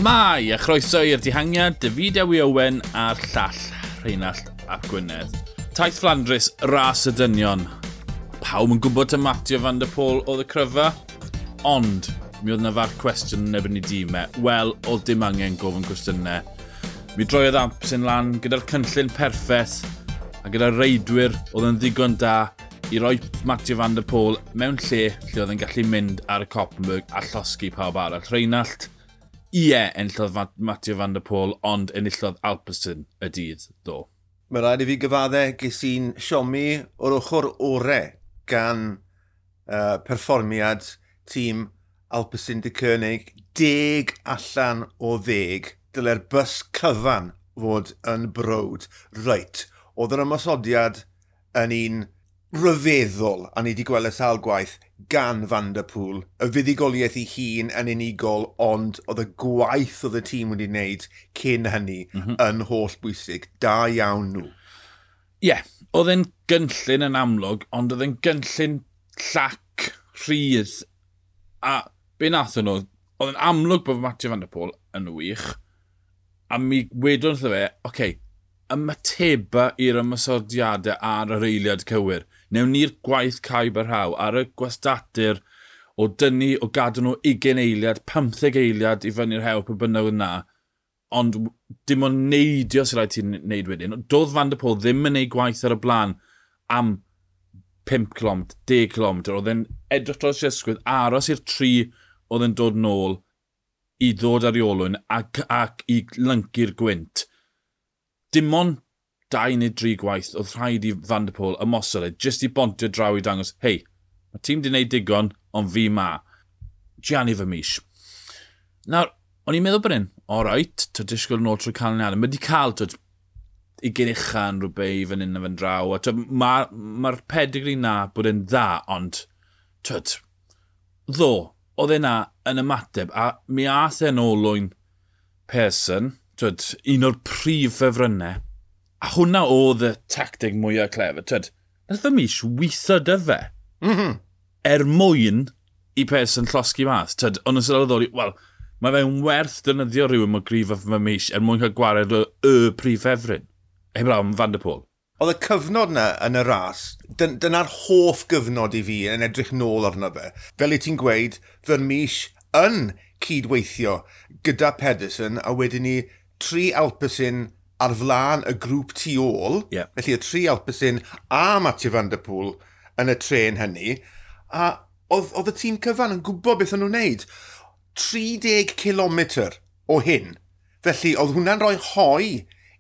Shmai, a chroeso i'r dihangiad, David Ewi Owen a'r llall Rheinallt ap Gwynedd. Taith Flandrus, ras y dynion. Pawb yn gwybod y Matio van der Pôl oedd y cryfa, ond mi oedd yna farc cwestiwn yn ebyn i dîmau. Wel, oedd dim angen gofyn cwestiynau. Mi droiodd Alpecin lan gyda'r cynllun perffaith a gyda'r reidwyr oedd yn ddigon da i roi Mathieu van der Poel mewn lle lle oedd yn gallu mynd ar y Coppenberg a llosgi pawb arall. Rheinallt, ie, enillodd Mathieu van der Poel, ond enillodd Alpecin y dydd, ddo. Mae rhaid i fi gyfadde, ges i'n siomi o'r ochr ore gan perfformiad tîm Alpecin de Koenig, 10 allan o 10. Dyle'r bus cyfan fod yn browd. Reit, oedd yr ymosodiad yn un rhyfeddol, a ni wedi gweld y sawl gwaith, gan Van der Poel. Y fuddugoliaeth ei hun yn unigol, ond oedd y gwaith oedd y tîm wedi wneud cyn hynny yn holl bwysig. Da iawn nhw. Ie, yeah, oedd e'n gynllun yn amlwg, ond oedd e'n gynllun llac, rhydd. A be nath nhw, oedd e'n amlwg bod Mathieu van der Poel yn wych, a mi wedon wrtho fe, oce, okay, ymateba i'r ymosodiadau ar yr eiliad cywir. Newn ni'r gwaith caib a rhaw ar y gwastatir o dynnu, o gadw nhw 20 eiliad, 15 eiliad i fyny'r hewl pe bynnag oedd na. Ond dim ond neidio sy'n rhaid ti'n neud wedyn. Doedd Van der Poel ddim yn neud gwaith ar y blaen am 5 km, 10 km. Oedd e'n edrych dros ei ysgwydd, aros i'r tri oedd e'n dod nôl i ddod ar ei olwyn ac i lyncu'r gwynt. Dim ond 2 neu 3 gwaith oedd rhaid i Van der Poel ymosod e, jyst i bontio draw i dangos, hei, mae tîm di wneud digon, ond fi ma. Gianni Vermeesch. Nawr, o'n i'n meddwl bod hyn, all right, to disgwyl nôl trwy canlyniadau. Mae wedi cael, twyd, 20 uchan rhywbeth i fan hyn a fan draw. A mae'r ma pedigree na bod e'n dda, ond, twyd, ddo, oedd e na yn ymateb, a mi ath e'n olwyn Persson, twyd, un o'r prif ffefrynnau. A hwnna oedd y tactig mwyaf clefer. Twyd, nath Vermeesch weithio dy fe. Er mwyn i Persson llosgi mas. Twyd, ond yn sylweddoli, wel, mae fe'n werth defnyddio rhywun mor gryf â Vermeesch er mwyn cael gwared y prif ffefryn. Heblaw am Van der Poel. Oedd y cyfnod na yn y ras, dyna'r hoff gyfnod i fi yn edrych nôl arno fe. Fel i ti'n gweud, Vermeesch yn cydweithio gyda Pedersen a wedyn ni tri Alpecin ar flaen y grŵp tu ôl. Yeah. Felly y tri Alpecin a Mathieu van der Poel yn y tren hynny. A oedd y tîm cyfan yn gwybod beth o'n nhw'n wneud. 30 km o hyn. Felly oedd hwnna'n rhoi hoi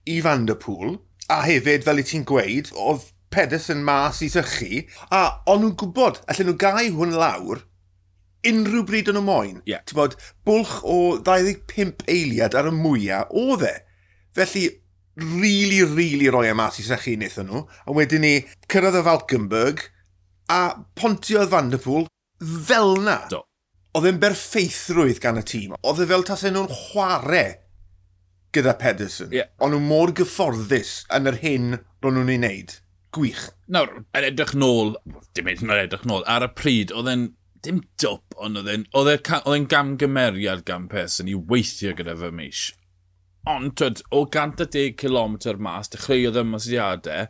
i Van der Poel. A hefyd, fel i ti'n gweud, oedd Pedersen mas i sychu. A o'n nhw'n gwybod, allan nhw gau hwn lawr unrhyw bryd o'n nhw moyn. Yeah. Ti'n bod, bwlch o 25 eiliad ar y mwyaf oedd e. Felly, really, really roi e mas i sychu wnaethon nhw. A wedyn ni, cyrraedd y Valkenburg a pontiodd Van der Poel fel na. Do. Oedd e'n berffeithrwydd gan y tîm. Oedd e fel tasen nhw'n chwarae gyda Pedersen. Yeah. O'n nhw mor gyfforddus yn yr hyn ro'n nhw'n ei wneud. Gwych. Nawr, yn edrych nôl, dim yn edrych nôl, ar y pryd, oedd e'n dim dwp, ond oedd e'n gamgymeriad gan Pedersen i weithio gyda Vermeesch. Ond, twyd, o 110 km mas, dechreuodd ymosodiadau,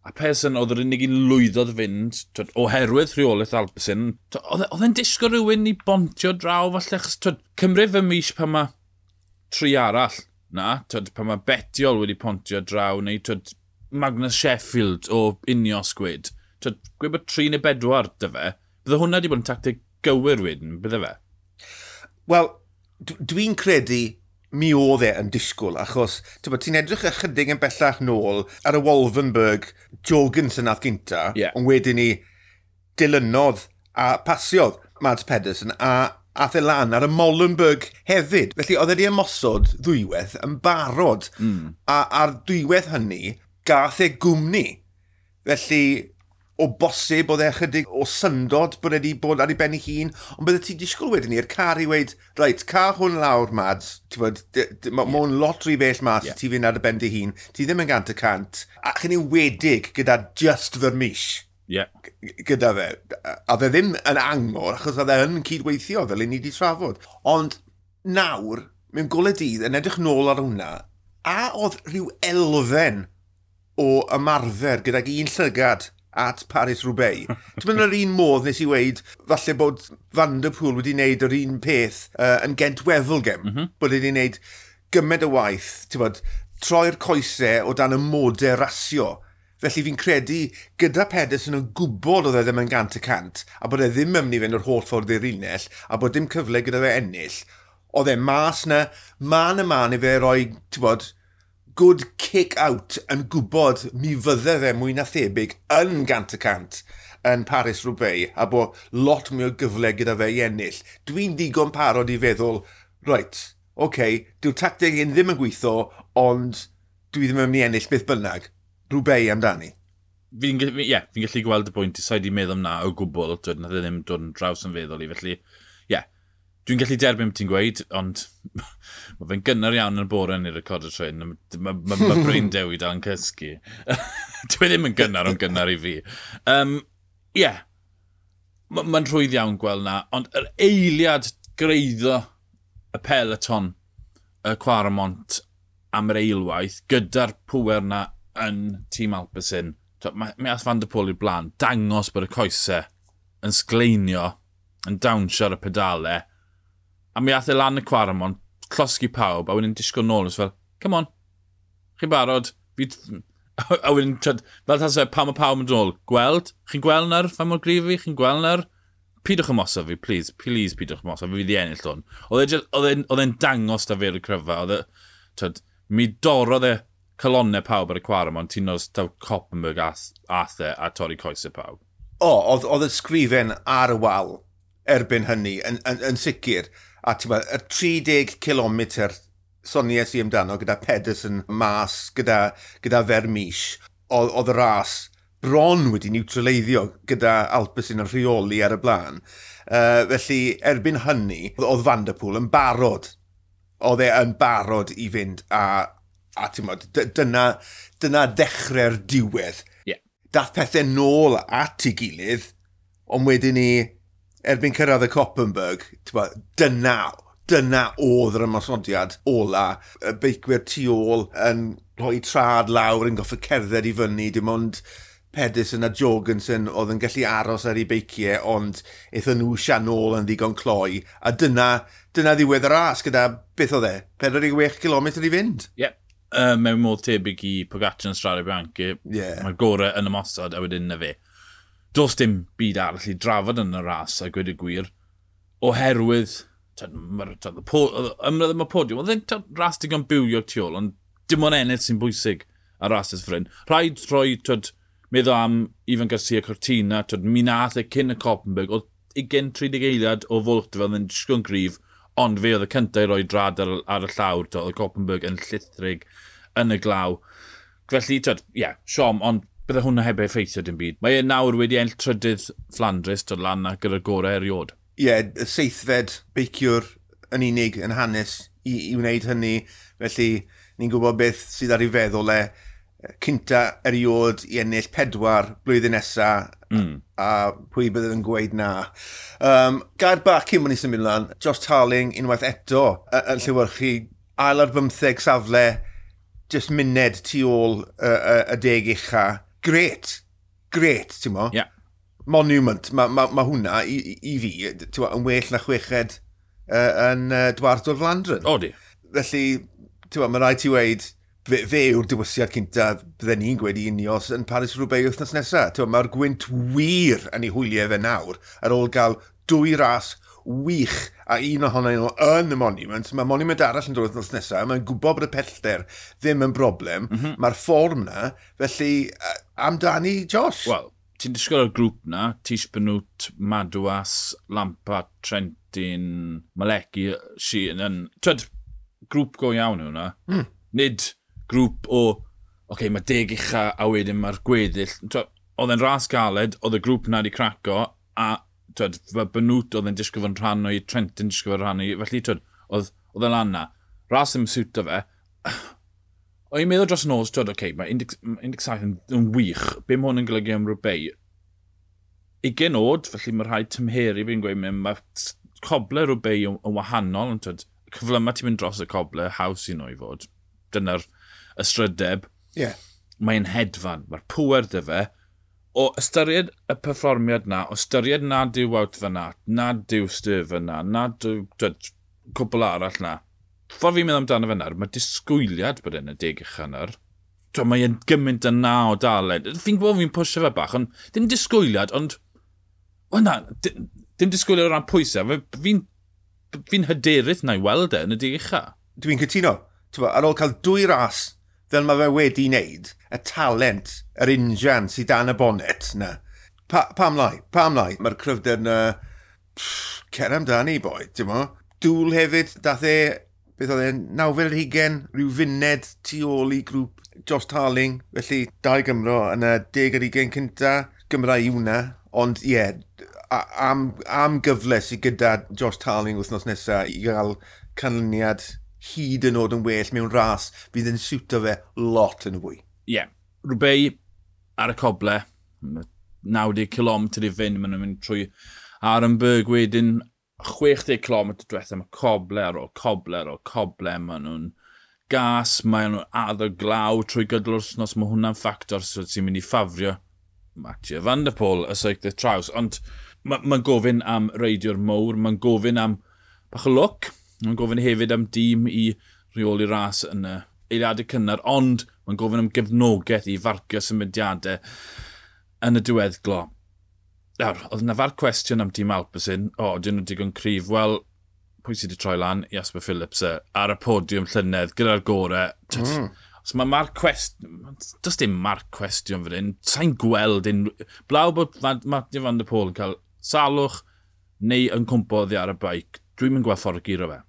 a Pedersen oedd yr unig un lwyddodd fynd, twyd, oherwydd rheolaeth Alpecin, oedd e'n disgwyl rhywun i bontio draw, falle, achos, twyd, cymryd Vermeesch pan mae tri arall na, twyd, pan mae Betiol wedi pontio draw, neu twyd, Magnus Sheffield o Ineos gwed. Twyd, gweud bod 3 neu 4 dy fe, bydde hwnna wedi bod yn tactig gywir wedyn, bydde fe? Wel, dwi'n credu mi oedd e yn disgwyl, achos ti'n edrych ychydig yn bellach nôl ar y Wolvenberg, Jorgensen nath gynta, yeah. Ond wedyn ni dilynodd a pasiodd Mads Pedersen a ath e lan ar y Molenberg hefyd. Felly oedd e wedi ymosod ddwywaith yn barod, a ar dwywaith hynny gath e gwmni. Felly o bosib oedd e ychydig o syndod bod e wedi bod ar ei ben ei hun, ond bydde ti disgwyl wedyn i'r car i weid, reit, car hwn lawr, Mads, ti'n bod, ma' hwn lot rhy bell mas, ti fynd ar y ben dy hun, ti ddim yn 100%, a chi'n enwedig gyda just Vermeesch. Yeah. Gyda fe. A fe ddim yn angor, achos oedd e yn cydweithio fel i ni wedi trafod. Ond nawr, Mewn golau dydd, yn edrych nôl ar hwnna, a oedd rhyw elfen o ymarfer gydag un llygad at Paris-Roubaix? Ti'n mynd yr un modd nes i weud, falle bod Van der Poel wedi wneud yr un peth yn Gent Wevelgem, bod wedi wneud gymaint o waith, ti'n bod, troi'r coesau o dan y modau rasio. Felly fi'n credu gyda Pedersen yn gwybod oedd e ddim yn 100% a bod e ddim yn mynd i fynd yr holl ffordd i'r unell a bod dim cyfle gyda fe ennill, oedd e mas na, man y man i fe roi, ti'n bod, good kick out yn gwybod mi fydde fe mwy na thebyg yn 100% yn Paris-Roubaix a bod lot mwy o gyfle gyda fe i ennill. Dwi'n ddigon parod i feddwl, reit, oce, okay, dyw'r tacteg hyn ddim yn gweithio, ond dwi ddim yn mynd i ennill beth bynnag. Roubaix amdani. Fi'n yeah, fi gallu gweld y bwynt, sa'i di meddwl am na o gwbl, twyd, nath e ddim dod yn draws yn feddwl i, felly, ie, yeah, dwi'n gallu derbyn beth ti'n gweud, ond mae fe'n gynnar iawn yn y bore yn ei recordo tren, mae Bryn Dewi dal yn cysgu. Dwi ddim yn gynnar, ond gynnar i fi. Ie, yeah, mae'n rhwydd iawn gweld na, ond yr eiliad greiddo y peloton, y Quaramont am yr eilwaith, gyda'r pwer na yn tîm Alpecin, mae ath Van der Poel i'r blaen, dangos bod y coesau yn sgleinio, yn dawnsio ar y pedalau, a mi ath e lan y Quaramont, llosgi pawb, a wedyn disgwyl nôl, fel, come on, chi'n barod, fi... A wedyn, fel tas e, pam mae pawb yn dod nôl, gweld, chi'n gweld nawr, fa mor gryf fi, chi'n gweld nawr, pidwch ymosod fi, please, please pidwch ymosod fi, fi wedi ennill hwn. Oedd e'n dangos da fe'r cryfa, oedd e, mi dorrodd e calonnau pawb ar y Quaramont, ti'n nos taw Koppenberg ath e a torri coesau pawb. O, oedd y sgrifen ar y wal erbyn hynny, yn sicr. A ti'n gwybod, y 30 km sonies i amdano gyda Pedersen mas, gyda Vermeersch, oedd y ras bron wedi niwtraleiddio gyda Alpecin yn rheoli ar y blaen. Felly, erbyn hynny, oedd Van der Poel yn barod. Oedd e yn barod i fynd a ti'n gwybod, dyna ddechrau'r diwedd. Yeah. Dath pethau nôl at ei gilydd, ond wedyn ni, erbyn cyrraedd y Koppenberg, ti'n gwybod, dyna oedd yr ymosodiad ola. Y beicwyr tu ôl yn rhoi trad lawr, yn goffa cerdded i fyny, dim ond Pedersen a Jorgensen oedd yn gallu aros ar ei beiciau, ond aethon nhw sian nôl yn ddigon cloi. A dyna ddiwedd y ras gyda, beth oedd e, 46 km i fynd. Ie. Yeah. Mewn modd tebyg i Pogacar yn Strade Bianche, yeah. Mae'r gorau yn ymosod a wedyn na fe. Does dim byd arall i drafod yn y ras a gweud y gwir, oherwydd ymladd y podiwm, oedd e'n ras digon bywiog tu ôl, ond dim ond ennill sy'n bwysig ar rasys ffrind. Rhaid rhoi, meddwl am Ivan Garcia Cortina, mi nath e cyn y Koppenberg, oedd 20-30 eiliad o fwlch fel yn disgwyl gryf, ond fe oedd y cyntaf i roi drad ar y llawr, oedd y Koppenberg yn llithrig yn y glaw. Felly, ie, siom, ond bydde hwnna heb effeithio dim byd. Mae e nawr wedi ennill trydydd Flandres, dod lan ac gyda'r gorau eriod. Ie, yeah, y seithfed beiciwr yn unig yn hanes i wneud hynny. Felly, ni'n gwybod beth sydd ar ei feddwl e. Cynta eriod i ennill 4 blwyddyn nesa, a pwy bydd yn gweud na. Gair bach cyn bod ni symud lan, Josh Tarling unwaith eto yn llewyrchu ail ar 15 safle, just muned tu ôl y 10 ucha. Gret, ti'n mo? Yeah. Monument, ma hwnna i fi, ti'n mo, yn well na chweched yn Dwars door Vlaanderen. Odi. Felly, ti'n mo, mae rhaid ti weud, fe yw'r diwysiad cynta bydden ni'n gweud i Ineos yn Paris-Roubaix wythnos nesaf. Mae'r gwynt wir yn ei hwyliau fe nawr, ar ôl gael 2 ras wych a un ohonyn nhw yn y Monument. Mae Monument arall yn dod wythnos nesaf, mae'n gwybod bod y pellter ddim yn broblem. Mm-hmm. Mae'r fform na, felly amdani Josh. Wel, ti'n disgwyl o'r grŵp na, Tish Benoot, Madouas, Lampa, Trentin, Malecki, Sheehan. Twyd, grŵp go iawn yw hwnna. Mm. Nid grŵp o, oce, mae 10 ucha a wedyn mae'r gweddill. Oedd e'n ras galed, oedd y grŵp na wedi craco, a twyd, Benoot oedd e'n disgwyl fod yn rhan o'i, Trentin disgwyl fod yn rhan o'i, felly twyd, oedd e'n lan na. Ras ddim siwto fe. O'n i'n meddwl dros nos, twyd, oce, mae 17 yn wych. Be mae hwn yn golygu am Roubaix? 20 oed, felly mae rhaid tymheru fi'n gweud, mae coble Roubaix yn wahanol, ond twyd, Cyflyma ti'n mynd dros y coble, haws i nhw i fod. Dyna'r ystrydeb. Yeah. Mae'n hedfan, mae'r pŵer 'da fe. O ystyried y perfformiad 'na, o ystyried nad yw Wout van Aert, nad yw Stuyven 'na, nad yw cwpl arall 'na. Ffordd fi'n meddwl amdano fe nawr, mae disgwyliad bod e'n y 10 ucha nawr. Mae e'n gymaint yna o dalent. Fi'n gwybod fi'n pwysio fe bach, ond dim disgwyliad, ond... O na, dim disgwyliad o ran pwysau. Fi'n hyderus na i weld e yn y 10 ucha. Dwi'n cytuno. Ar ôl cael 2 ras fel mae fe wedi wneud, y talent, yr injan sydd dan y bonnet na. Pam lai? Pam lai? Mae'r cryfder na... Cer amdani, boi, ti'n mo? Dŵl hefyd, dath e, beth oedd e, 29, rhyw funed tu ôl i grŵp Josh Tarling, felly 2 Gymro yn y 10 ar 20 cynta, Gymra i hwnna, ond ie, yeah, am gyfle sydd gyda Josh Tarling wythnos nesaf i gael canlyniad hyd yn oed yn well mewn ras fydd yn siwto fe lot yn fwy. Ie. Yeah. Roubaix ar y coble, 90 km i fynd, maen nhw'n mynd trwy Arenberg wedyn, 60 km diwethaf, mae coble ar ôl coble ar ôl coble, maen nhw'n gas, maen nhw'n addo glaw trwy gydol wythnos, mae hwnna'n ffactor sy'n mynd i ffafrio Mathieu van der Poel, y seiclydd traws, ond mae'n gofyn am reidiwr mowr, mae'n gofyn am bach o lwc, mae'n gofyn hefyd am dîm i reoli ras yn y eiliadau cynnar, ond mae'n gofyn am gefnogaeth i farcio symudiadau yn y diweddglo. Nawr, oedd yna farc cwestiwn am tîm Alpecin, o, dyn nhw digon cryf, wel, pwy sydd wedi troi lan? Jasper Philipsen ar y podiwm llynedd gyda'r gorau. So mae marc cwestiwn, does dim marc cwestiwn fan hyn, sa'n gweld unrhyw... Blaw bod Mathieu van der Poel yn cael salwch neu yn cwmpo oddi ar y beic, dwi'm yn gweld ffordd guro fe.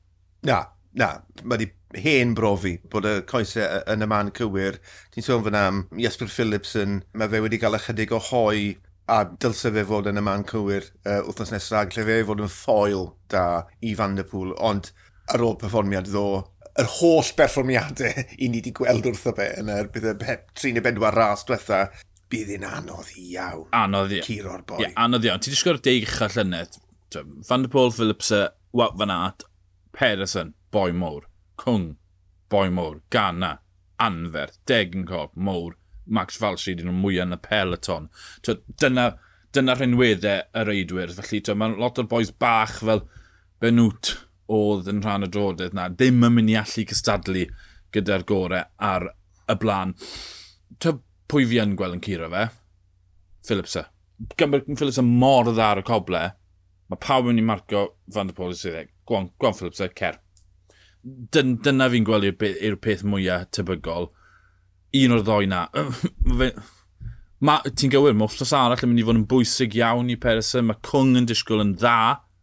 Na, mae wedi hen brofi bod y coesau yn y man cywir. Ti'n sôn fan am Jasper Philipsen, mae fe wedi cael ychydig o hoi a dylse fe fod yn y man cywir wythnos nesaf, lle fe fod yn ffoil da i Van der Poel, ond ar ôl perfformiad ddo, yr holl berfformiadau i ni wedi gweld wrtho fe yn yr 3 neu 4 ras diwetha, bydd hi'n anodd iawn. Anodd iawn. Curo'r boi. Ie, anodd iawn. Ti wedi sgorio'r 10 ucha llynedd. Van der Poel, Philipsen, Wout van Aert, Pedersen, boi mowr. Kung, boi mowr. Ganna, anferth. Degenkolb, mowr. Max Walscheid, un o'r mwyaf yn y peloton. Dyna rhinweddau y reidwyr. Felly mae lot o'r boys bach fel Benoot oedd yn rhan o drodydd na, ddim yn mynd i allu cystadlu gyda'r gorau ar y blaen. Pwy fi yn gweld yn curo fe? Philipsen. Philipsen mor dda ar y coble, mae pawb yn mynd i marco Van der Poel i sydd e. Go on Philipsen, cer. Dyna fi'n gweld yw'r peth mwyaf tebygol. Un o'r ddoi na. Ti'n gywir, mae wythnos arall yn mynd i fod yn bwysig iawn i Pedersen. Mae Kung yn disgwyl yn dda,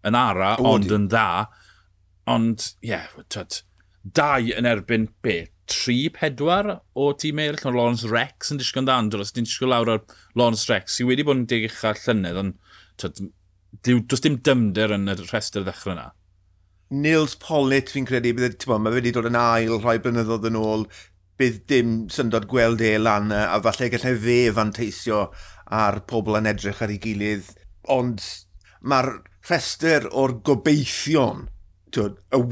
yn ara, ond yn dda. Ond, ie, yeah, 2 yn erbyn be? 3, 4 o tîm eraill. Mae Lawrence Rex yn disgwyl yn dda, ond os ti'n disgwyl lawr ar Lawrence Rex, sydd wedi bod yn 10 ucha llynedd, ond does dim dymder yn y rhestr ddechrau yna. Nils Pollitt, fi'n credu, mae wedi dod yn ail rhai blynyddoedd yn ôl, bydd dim syndod gweld e lan, a falle gallai fe fanteisio ar pobl yn edrych ar ei gilydd. Ond mae'r rhestr o'r gobeithion, y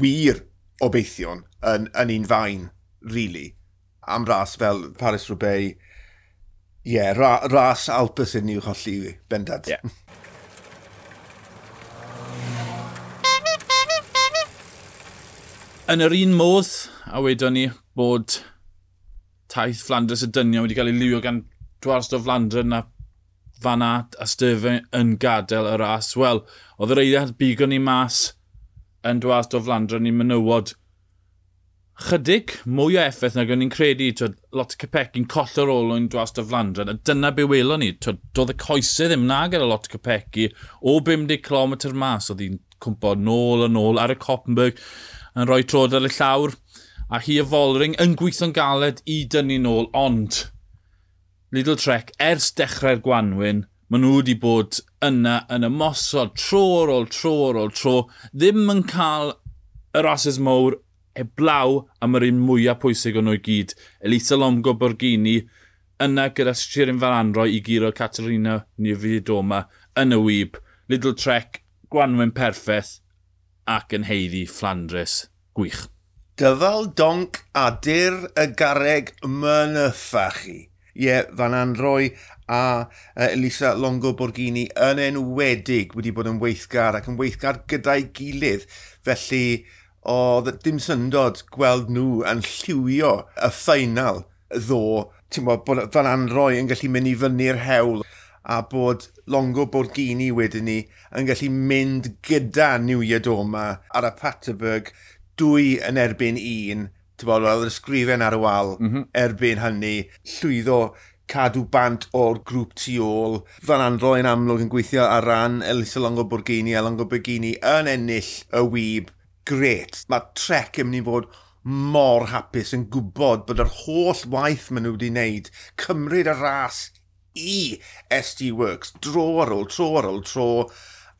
wir obeithion, yn un fain, really, am ras fel Paris-Roubaix. Ie, yeah, ras Alpecin i'w cholli, bendant. Yeah. Yn yr un modd, a wedon ni bod taith Flandres y dynion wedi cael ei liwio gan Dwars o Flandres na Van Aert a Stuyven yn gadael y ras. Wel, oedd yr eiliad bigon ni mas yn Dwars o Flandres ni menywod chydig mwy o effaith nag o'n i'n credu. Lot o Capecchi'n collo'r olwyn Dwars o Flandres, a dyna be welon ni. Doedd y coesau ddim na gyda lot o Capecchi o 50 km mas. Oedd hi'n cwmpo nôl a nôl ar y Koppenberg yn rhoi trod ar y llawr, a hi a Vollering yn gweithio'n galed i dynnu nôl, ond Lidl Trek, ers dechrau'r gwanwyn, maen nhw wedi bod yna yn ymosod tro ar ôl tro ar ôl tro, ddim yn cael y rhasys mowr heblaw am yr un mwyaf pwysig o'n nhw i gyd. Elisa Longo Borghini yna gyda Shirin Van Anrooij i guro Katarzyna Niewiadoma yn y wyb. Lidl Trek, gwanwyn perffaith ac yn haeddu Flandres. Gwych. Dyfal donc a dyr y garreg mynyffa chi. Ie, yeah, Van Anrooij a Elisa Longo Borghini yn enwedig wedi bod yn weithgar ac yn weithgar gyda'i gilydd. Felly, oedd dim syndod gweld nhw yn lliwio y ffeinal ddo. Ti'n bod, bod Van Anrooij yn gallu mynd i fyny'r hewl a bod Longo Borghini wedyn ni yn gallu mynd gyda Niewiadoma ar y Paterberg 2 yn erbyn 1. Ti'n bod, oedd yr ysgrifen ar y wal erbyn hynny, llwyddo cadw bant o'r grŵp tu ôl. Van Anrooij yn amlwg yn gweithio ar ran Elisa Longo Borghini a Longo Borghini yn ennill y wib. Gret. Mae Trek yn mynd i fod mor hapus yn gwybod bod yr holl waith maen nhw wedi wneud, cymryd y ras i SD Worx, dro ar ôl tro ar ôl tro,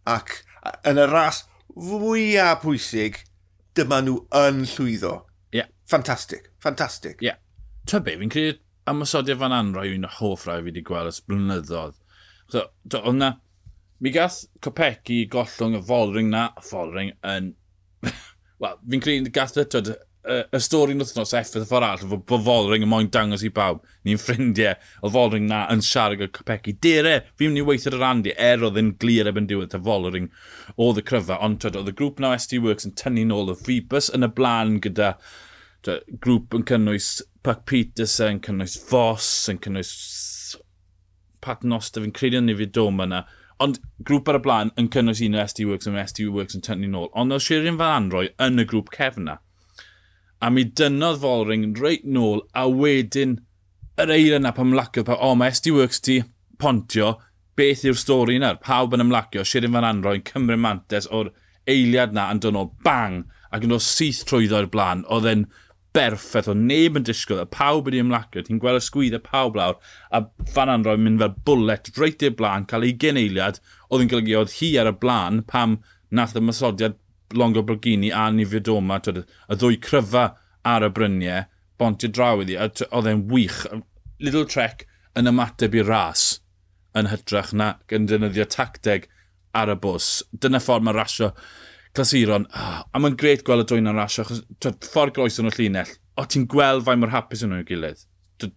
ac yn y ras fwyaf pwysig, dyma nhw yn llwyddo. Ffantastig, ffantastig. Ie. Yeah. Ta be, fi'n credu ymosodiad Van Anrooij un o hoff rai fi wedi gweld ers blynyddoedd. So, oedd na, mi gath Kopecky gollwng y Vollering na, Vollering yn... Wel, fi'n credu gath y, twyd, y stori yn wythnos effaith y ffordd arall, bod Vollering yn moyn dangos i bawb, ni'n ffrindiau, oedd Vollering na yn siarad gyda Kopecky. Dere, fi'n mynd i weithio ar Andy, er oedd yn glir erbyn diwedd, ta Vollering oedd y cryfa, ond twyd, oedd y grŵp na SD Worx yn tynnu nôl, y Phoebus yn y blaen gyda twyd, grŵp yn cynnwys Puck Pieterse, yn cynnwys Vos, yn cynnwys Paternoster, fi'n credu yn Niewiadoma yna. Ond grŵp ar y blaen yn cynnwys un o SD Worx a SD Worx yn tynnu nôl. Ond oedd Shirin Van Anrooij yn y grŵp cefn na. A mi dynnodd Vollering reit nôl, a wedyn yr eira yna pan ymlacio, pa, o, mae SD Worx ti pontio, beth yw'r stori yna? Pawb yn ymlacio, Shirin Van Anrooij yn cymryd mantes o'r eiliad na yn dod nôl, bang, ac yn dod syth trwyddo i'r blaen. Oedd e'n berffaith, oedd neb yn disgwyl, a pawb wedi ymlacio, ti'n gweld y sgwydd y pawb lawr, a Van Anrooij yn mynd fel bullet reit i'r blaen, cael 20 eiliad, oedd yn golygu oedd hi ar y blaen pam nath y ymosodiad Longo Borghini a Niewiadoma, twyd, y ddwy cryfa ar y bryniau, bontio draw iddi, a oedd e'n wych. Lidl Trek yn ymateb i'r ras yn hytrach na yn defnyddio tacteg ar y bws. Dyna ffordd mae rasio clasuron. Oh, a mae'n gret gweld y dwy na'n rasio, achos twyd, ffordd groes yn y llinell, o ti'n gweld faint mor hapus yn nhw'n gilydd. Twyd,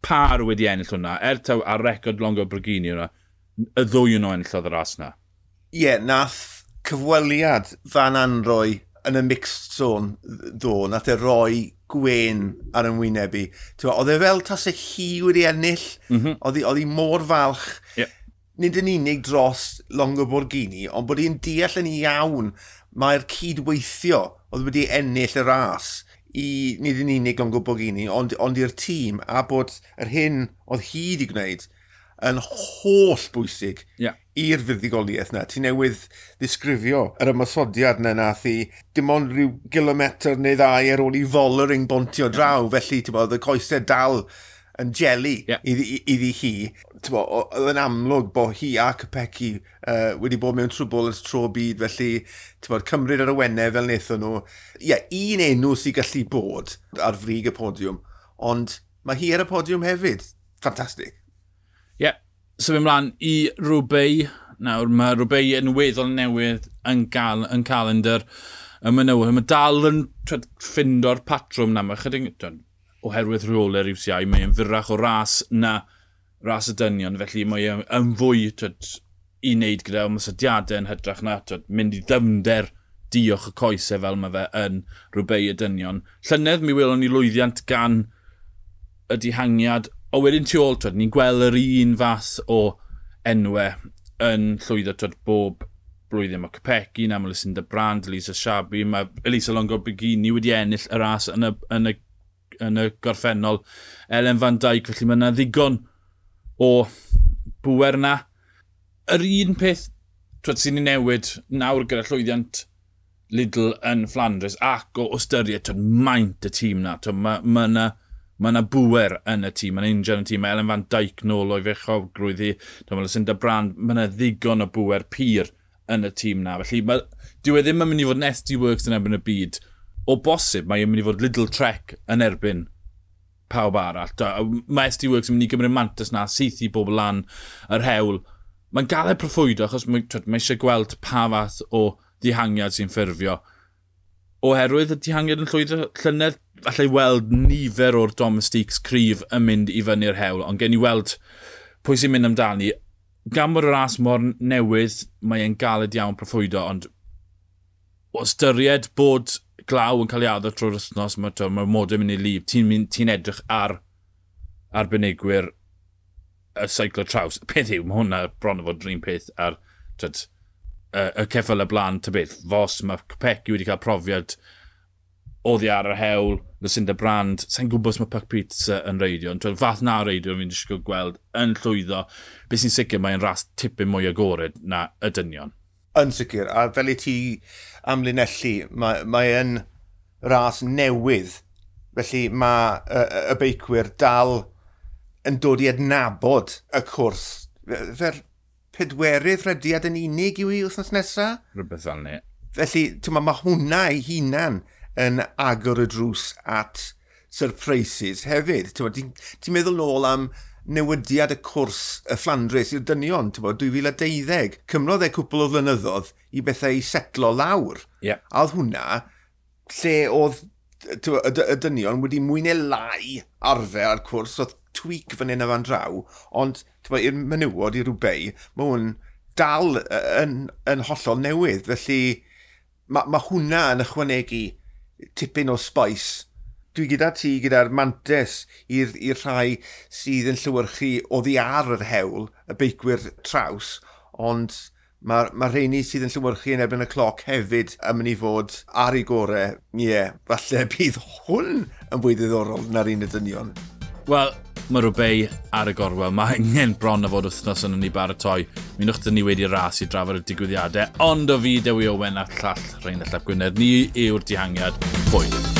par wedi ennill hwnna, er taw ar record Longo Borghini hwnna, y ddwy yn nhw enillodd y ras na. Ie, yeah, nath cyfweliad Van Anrooij yn y mixed zone ddo, nath e roi gwen ar yn wyneb i. Oedd e fel tase hi wedi ennill, oedd hi mor falch. Nid yn unig dros Longo Borghini, ond bod hi'n deall yn iawn mae'r cydweithio oedd wedi ennill y ras i nid yn unig Longo Borghini, ond i'r tîm, a bod yr hyn oedd hi wedi gwneud yn holl bwysig i'r fuddugoliaeth na. Ti newydd ddisgrifio yr ymosodiad na nath i dim ond rhyw gilometr neu ddau ar ôl i Vollering bontio draw, felly ti'n bod, y coesau dal yn jelly iddi hi. Ti'n bod, oedd yn amlwg bod hi a Kopecky wedi bod mewn trwbl ers tro byd, felly ti'n bod, cymryd ar y wennau fel wnaethon nhw. Ie, yeah, un enw sy'n gallu bod ar frig y podiwm, ond mae hi ar y podiwm hefyd. Ffantastig. Ie, yeah. Symud ymlaen i Roubaix. Nawr, mae Roubaix yn weddol newydd yn calendar y menywod. Mae dal yn twed, ffindo'r patrwm na. Mae chydig, twed, oherwydd rheolau'r UCI, mae'n fyrrach o ras na ras y dynion, felly mae yn fwy twed, i wneud gyda ymosodiadau yn hytrach na twed, mynd i ddyfnder diolch y coesau fel mae fe yn Roubaix y dynion. Llynedd mi welon ni lwyddiant gan y dihangiad, o wedyn tu ôl, twed, ni'n gweld yr un fath o enwau yn llwyddo twed, bob blwyddyn. Mae Kopecky, na, mae Lucinda Brand, Elisa Chabbey, mae Elisa Longo Borghini wedi ennill y ras yn y gorffennol. Ellen van Dijk, felly mae yna ddigon o bwer na. Yr un peth twed, sy'n ei newid nawr gyda llwyddiant Lidl yn Flanders ac o ystyried twed, maint y tîm na. Twed, mae yna bwer yn y tîm, mae'n injan yn y tîm, mae Ellen van Dijk nôl o'i fechogrwydd hi, mae Lucinda Brand, mae yna ddigon o bwer pur yn y tîm na. Felly, mae, dyw e ddim yn mynd i fod yn SD Worx yn erbyn y byd. O bosib, mae e'n mynd i fod Lidl Trek yn erbyn pawb arall. Mae SD Worx yn mynd i gymryd mantais na, syth i bobl lan yr hewl. Mae'n galed proffwydo achos mae, twed, mae eisiau gweld pa fath o ddihangiad sy'n ffurfio. Oherwydd y dihangiad yn llwyddo llynedd, allai weld nifer o'r domestiques cryf yn mynd i fyny'r hewl, ond gen i weld pwy sy'n mynd amdani. Gan bod y ras mor newydd, mae e'n galed iawn proffwydo, ond o ystyried bod glaw yn cael ei addo trwy'r wythnos, mae'r ma modau mynd i lif, ti'n ti edrych ar arbenigwyr y seiclo traws. Peth yw, mae hwnna bron o fod yr un peth ar twyd, y ceffyl y blaen, ta beth, Fos, mae Kopecky wedi cael profiad oddi ar yr hewl, Lucinda Brand, sa'n gwybod os mae Puck Pizza yn reidio, ond fath na reidio fi'n disgwyl gweld yn llwyddo. Beth sy'n sicr, mae'n ras tipyn mwy agored na y dynion. Yn sicr, a fel i ti amlinellu, mae, mae yn ras newydd, felly mae y, y beicwyr dal yn dod i adnabod y cwrs. Fe'r pedwerydd rediad yn unig yw i wythnos nesaf? Rhywbeth fel ni. Felly, mae ma hwnna ei hunan yn agor y drws at surprises hefyd. Ti'n ti meddwl nôl am newidiad y cwrs y Flandres i'r dynion, ti'n 2012. Cymrodd e cwpl o flynyddoedd i bethau i setlo lawr. Yeah. A oedd hwnna lle oedd y, y dynion wedi mwy neu lai arfer ar cwrs, oedd tweak fan hyn a fan draw, ond i'r menywod, i Roubaix, mae hwn dal yn, yn hollol newydd, felly mae ma hwnna yn ychwanegu tipyn o spice. Dwi gyda ti gyda'r mantes i'r rhai sydd yn llywyrchu oddi ar yr hewl, y beicwyr traws, ond mae'r ma rheini sydd yn llywyrchu yn erbyn y cloc hefyd yn mynd i fod ar ei gorau. Ie, yeah, falle bydd hwn yn fwy ddiddorol na'r un y dynion. Wel, mae Roubaix ar y gorwel. Mae angen bron o fod wythnos yn ni baratoi. Mi nwch ni wedi ras i drafod y digwyddiadau, ond o fi Dewi Owen a llall Rheinald Llap Gwynedd, ni yw'r dihangiad. Hwyl.